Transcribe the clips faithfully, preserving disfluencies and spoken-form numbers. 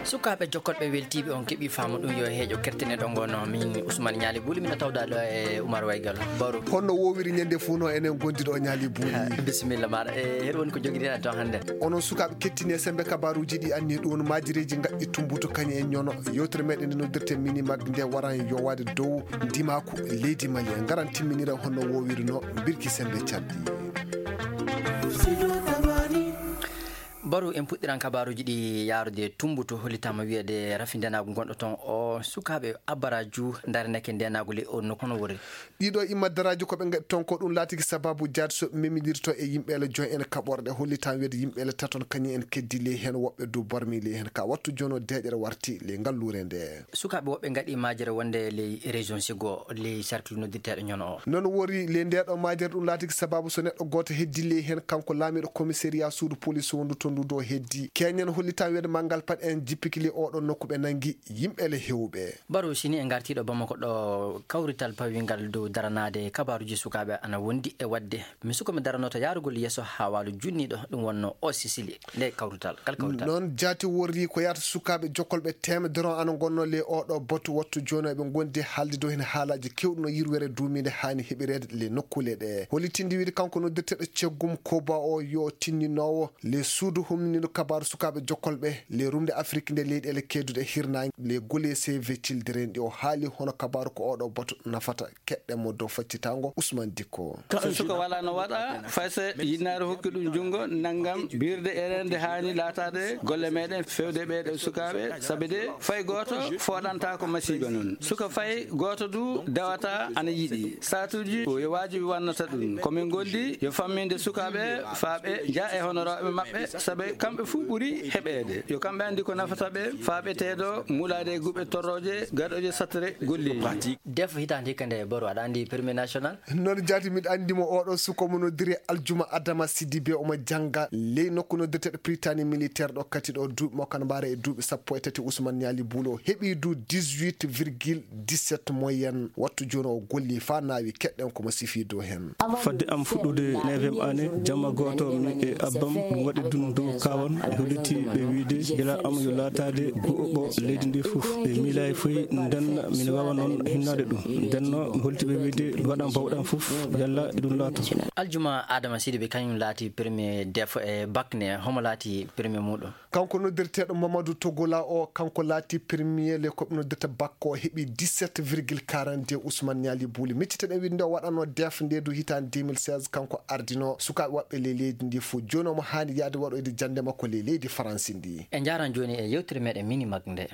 Sukaaɓe jokkolɓe weltiiɓe on keɓii faamu ɗum yo heeƴo kertine ɗo ngono. Min Ousmane Ñaali Buuli, mina tawda ɗo e Oumar Waygal. Baro. Honno wowiri ñande fof no enen gondi ɗo Ñaali Buuli? Bisimilla maɗa. E, heɗo woni ko jogiɗen ton hannde? Onon sukaaɓe kettini e sembe kabaruuji ɗi anni ɗum, maajireeji ngaɗɗi tumbuto kañum e ñono. Yewtere meɗen nde noddirte Mini Mag nde waran yowaade dow ndimaaku leydi Mali. En ngaran timminira honno wowiri no birki sembe calɗi. Baru en puɗɗiran kabaruuji ɗi yaarude Tumbutu, hollitaama wiyeede rafi ndenaagu gonɗo ton o sukaaɓe abaraju ndarinake ndenaagu ley o nokku hono wori. Ɗiɗo imma daraaji ko ɓe ngaɗi ton ko ɗum laatiki sababu jaati so ɓe memidirto e yimɓeele joy en kaɓorɗe, hollitaama wiyeede yimɓeele taton kañum en keddi ley heen, woɓɓe du barmi ley heen. Ka wattu jono deeƴere warti ley ngalluure nde. Sukaaɓe woɓɓe ngaɗi maajere wonde ley région Sigo, ley cercle noddirteeɗo ñono o. Noon wori ley ndeeɗo maajere ɗum laatiki sababu so neɗɗo gooto heddi ley heen, kanko laamiiɗo commissariat suudu police wondu to ndu ɗo heddi. Keñen hollitaama wiyeede manngal pat en jippiki ley oɗo nokku ɓe nanngi yimɓeele hewɓe. Baro sini en ngartiiɗo Bamako ɗo kawrital pawingal dow daranaade kabaruuji sukaaɓe ana wondi e waɗde. Mi suko mi daranoto yaarugol yeeso haa waalu junniiɗo ɗum wonno o Sisili. Nde kawrital, kal kawrital. Noon jaati worri ko yaata sukaaɓe jokkolɓe teemedere on ana ngonno ley oɗo batu wattu jooni ɓe ngondi haalde dow heen haalaaji kewɗi no yirwere duumiinde haani heɓireede ley nokkuule ɗe. Hollitinde wiide kanko noddirteeɗo ceggum Koba o yo tinninoowo ley suudu humnindu kabaaru sukaaɓe jokkolɓe ley rumde Afrik nde leyɗeele keeduɗe hirnaange ley gole C V Children ɗi o haali hono kabaaru ko oɗo batu nafata. Keɗɗen mo dow faccitaango Ousmane Dikko. So suka wala no waɗa, fay so yinnaare hokki ɗum junngo, nanngam, birde e reende haani laataade golle meɗen fewde ɓeeɗo sukaaɓe, sabi de fay gooto fooɗanta ko masiiba noon. Suka fay gooto du dewata ana yiɗi. Saatuuji yo waajibi wannata ɗum. Ko min ngondi yo famminde sukaaɓe faa ɓe njaa e honorooɓe maɓɓe, sabi kamɓe fuu ɓuri heɓeede. Yo kamɓe anndi ko nafata ɓe, faa ɓe teedo muulaade e guɓe torrooje, gaɗooje sattere golleeji. Def hitaande hikka nde Baro, aɗa anndi Premier National? Noon jaati miɗo anndi mo oɗo suko mo noddiri Aljuma Adama Sidibe, omo jannga ley nokku noddirteeɗo Prytanée militaire ɗo kati ɗo duuɓi makko ana mbaara e duuɓi sappo e tati. Ousmane Niali Buulo heɓi du dix-huit virgule dix-sept moyenne. Wattu jooni o golli faa naawi, keɗɗen ko mo sifi dow heen. Fadde am fuɗɗude neuvième année, jamma gooto mi e abbam ɗum waɗi ɗum dow kaawan. Ɓe holliti ɓe wiyde gila am yo laataade gu'oɓo leydi ndi fof. Ɓe miilaay foy ndenna mine waawa noon hinnaade ɗum. Ndenno mi holliti ɓe wiyde mi waɗan bawɗam fof yalla ɗum laato. Aljuma Adama Sidibe kañum laati premier def e bakne, homo laati premier muɗum? Kanko noddirteeɗo Mamadou Togola o, kanko laati premier le ko ɓe noddirta bakko, o heɓi dix-sept virgule quarante-deux. Ousmane Niali Buuli, miccitaɗen wiide nde o waɗanno def nde du hitaande deux mille seize, kanko ardino sukaaɓe waɗɓe ley leydi ndi fof. Jooni omo haani yaade waɗoyde jannde makko ley leydi Faransi ndi. En njaaran jooni e yewtere meɗen Mini Mag nde.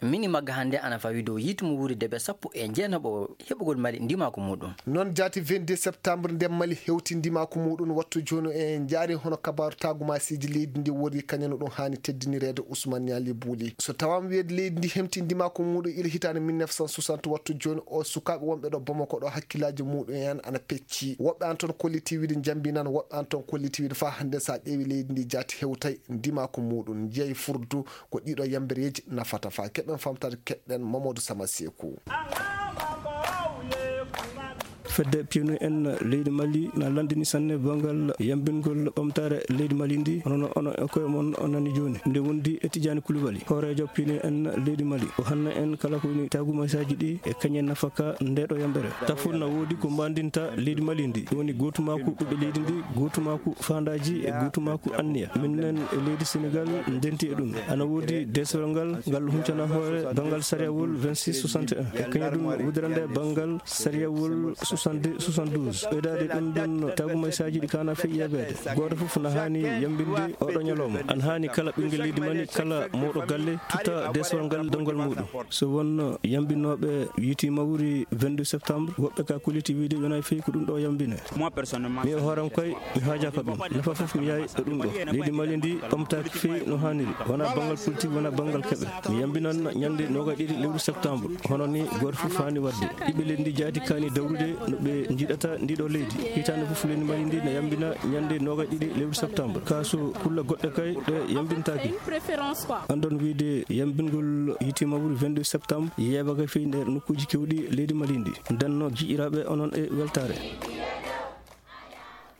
Mini Mag hannde ana fawi dow yiitu mo wuuri debe sappo e jeenaɓo heɓugol Mali ndimaaku muɗum. Noon jaati vingt-deux septembre nde Mali hewti ndimaaku muɗum, wattu jooni en njaari hono kabaaru taagumaasiiji leydi ndi wori kañum no ɗum haani teddinireede Ousmane Niali Buuli. So tawaama wiyeede leydi ndi hemti ndimaaku muɗum ila hitaande mille neuf cent soixante, wattu jooni o sukaaɓe wonɓe ɗo Bamako ɗo hakkillaaji muɗum en ana pecci. Woɓɓe an toon kolliti wiide njambinan, woɓɓe an toon kolliti wiide faa hannde so a ƴeewi leydi ndi jaati hewtay ndimaaku muɗum. Njiyay furdu ko ɗiɗo yambereeji nafata. Faa keɗen famtaade keɗen Mamadou Sama Seeku. Fedde piyanu en leydi Mali na lanndini sanne banngal yambingol ɓamtaare leydi Mali ndi, hono no onon e koye mon on nani jooni. Nde wondi e Tijaani Kulubali, hooreejo piyanu en leydi Mali, o hanna en kala ko woni taagumaasaaji ɗi e kañe nafaka nde ɗo yambere. Tafon na woodi ko mbaandinta leydi Mali ndi, woni gootumaaku ɓiɓɓe leydi ndi, gootumaaku faandaaji e gootumaaku anniya. Min nen e leydi Senegal ndenti e ɗum. Ana woodi deesewal ngal, ngal huncana hoore banngal sariyawol vingt-six soixante et un. E kañum ɗum wudorande banngal sariyawol soixante-deux soixante-douze. Ɓeydaade ɗum ɗon taagumaasaaji ɗi kaana fey yeebeede. Gooto fof na haani yambinde oɗo ñalawma. Ana haani kala ɓinngel leydi Mali, kala mawɗo galle, tutta deesewal ngal dongal muɗum. So wonno yambinooɓe yiiti mawri vingt-deux septembre, woɓɓe ka kolliti wiide yonay fey ko ɗum ɗo yambine. Mi e hooram koy, mi haajaaka ɗum. Nafa fof mi yaay e ɗum ɗo. Leydi Mali ndi ɓamtaaki fey no haaniri. Wona banngal politique, wona banngal keɓe. Mi yambinan ñande noogay ɗiɗi lewru septembre. Hono ni gooto fof haani waɗde. Ɓiɓɓe leydi ndi jaati kaani dawrude no ɓe njiɗata ndi ɗo leydi. Hitaande fof leydi Mali ndi na yambina ñande noogay ɗiɗi lewru septembre. Ka so kulle goɗɗe kay ɗe yambintaaki. Andon wiide yambingol yiiti mawri vingt-deux septembre, yeeɓaaka fey nder nokkuuji kewɗi leydi Mali ndi. Ndenno jiɗiraaɓe onon e weltaare.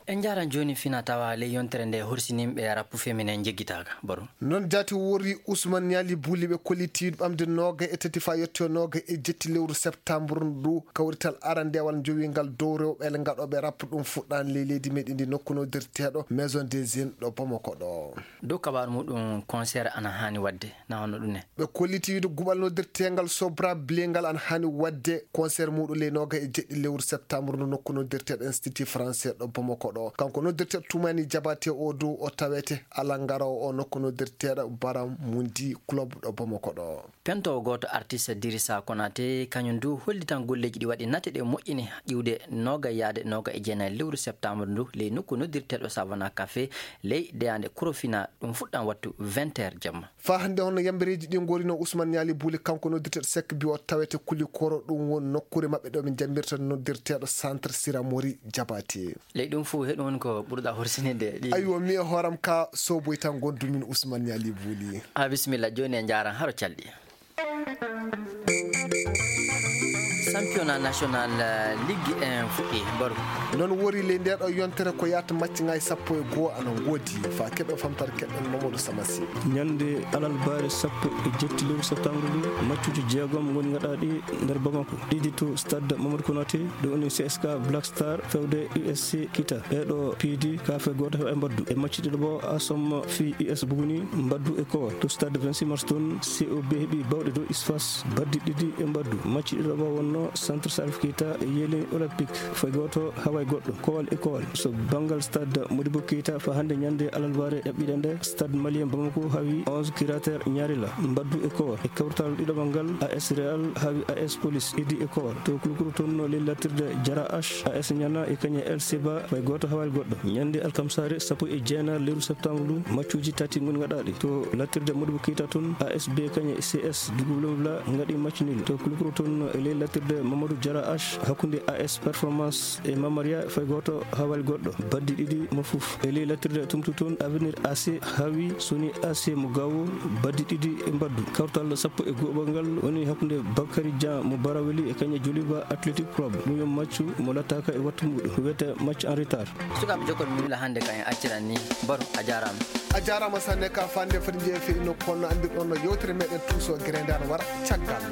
En njaaran jooni fina tawa ley yontere nde horsininɓe rappu feminin njeggitaaka, Baro. Noon jaati wori Usman Ñaali Buuli ɓe kolliti ɓamde nooga e tati faa yetto nooga e jetti lewru septembre ndu, kawrital arandewal njowingal dow rewɓe ngaɗooɓe rappu ɗum fuɗɗaani ley leydi meɗen ndi nokku noddirteeɗo Maison des Jeunes ɗo Bamako ɗo. Dow kabaaru muɗum concert ana haani waɗde, na hono ɗum ne? Ɓe kolliti wiide guɓal noddirteengal Sobra Blengal ana haani waɗde concert muɗum ley nooga e jeɗɗi lewru septembre ndu nokku noddirteeɗo Institut Français ɗo Bamako ɗo. Kanko noddirteeɗo Toumani Diabaté o dow o tawete alangaroowo o nokku noddirteeɗo Baram Mundi Club ɗo Bamako ɗo. Pento gooto artiste Dirisa Konate, kañum du hollitan golleeji ɗi waɗi nate ɗe moƴƴini iwde nooga yaade nooga e jeenayi lewru septembre ndu ley nokku noddirteeɗo Savana Café ley deyaande Korofina, ɗum fuɗɗan wattu vingt heures jamma. Faa hannde hono yambereeji ɗi ngorino Usman Ñaali Buuli kanko noddirteeɗo Sek Biwo tawete Kulikoro ɗum won nokkuure maɓɓe ɗo ɓe njambirta noddirteeɗo Centre Siramori Diabaté. Ley ɗum fof heɗum woni ko ɓurɗa horsininde ɗi. Aywa, mi e hooram ka soboy tan gondu min Usman Ñaali Buuli. A bisimilla, jooni e njaaran haro calɗi. Championnat national, eh, Ligue un fuɗɗi, Baro. Noon wori ley nde ɗo yontere ko yaata macci ngaay sappo e goo ana ngoodi. Faa keɓe famtare keɗen Mamadou Samasi. Ñande alarbaare sappo e jetti lewru septembre ndu, maccuuji jeegom ngoni ngaɗaaɗi nder Bamako. Ɗiɗi to stade Mamadou Konaté, ɗo woni C S K Black Star fewde U S C Kita. Ɓeeɗo piidi kaafe gooto heɓa e mbaddu. E macci ɗiɗo bo, Asom fi U S Buguni mbaddu e Kowal. To stade vingt-six mars toon, C O B heɓi bawɗe dow Isfas baddi ɗiɗi e mbaddu. Macci ɗiɗo bo wonno Centre Salif Keita yeeli Olympique fay gooto hawa e goɗɗo, Kowal e Kowal. So banngal stade Modibo Keita, faa hannde ñande alarbaare ɗaɓɓiɗe nde, stade malien Bamako hawi onze Cratère Ñaarila mbaddu e Kowal. E kawtal ɗiɗaɓal ngal, A S Real hawi A S Police idi e Kowal. To Kulukuru toon no ley lattirde Jara H, A S Ñana e kañe El Seba fay gooto hawa e goɗɗo. Ñande alkamsaare sappo e jeenayi lewru septembre ndu, maccuuji tati ngoni ngaɗaaɗi. To lattirde Modibo Keita toon, A S B kañe C S Dugub Lomla ngaɗi match nul. To Kulukuru toon e ley lattirde Mamadou Jara H hakkunde A S Performance e Mamaria fay gooto hawa e goɗɗo. Baddi ɗiɗi mo fof. E ley lattirde Tumtu toon, Avenir A C hawi Soni A C mo Gawo baddi ɗiɗi e mbaddu. Kawtal sappo e go'oɓal ngal woni hakkunde Bakary Dia mo Baraweli e kañe Joliba Athletic Club. Ɗum yo maccu mo lattaaka e wattu muɗum. Ko wiyetee match en retard. Sukaaɓe jokkol mi wila hannde ka en acciran ni. Baro, a jaaraama. A jaaraama sanne ka fande foti njeefe ino kono anndirɗon no yewtere meɗen tuuso gere nde ana wara caggal.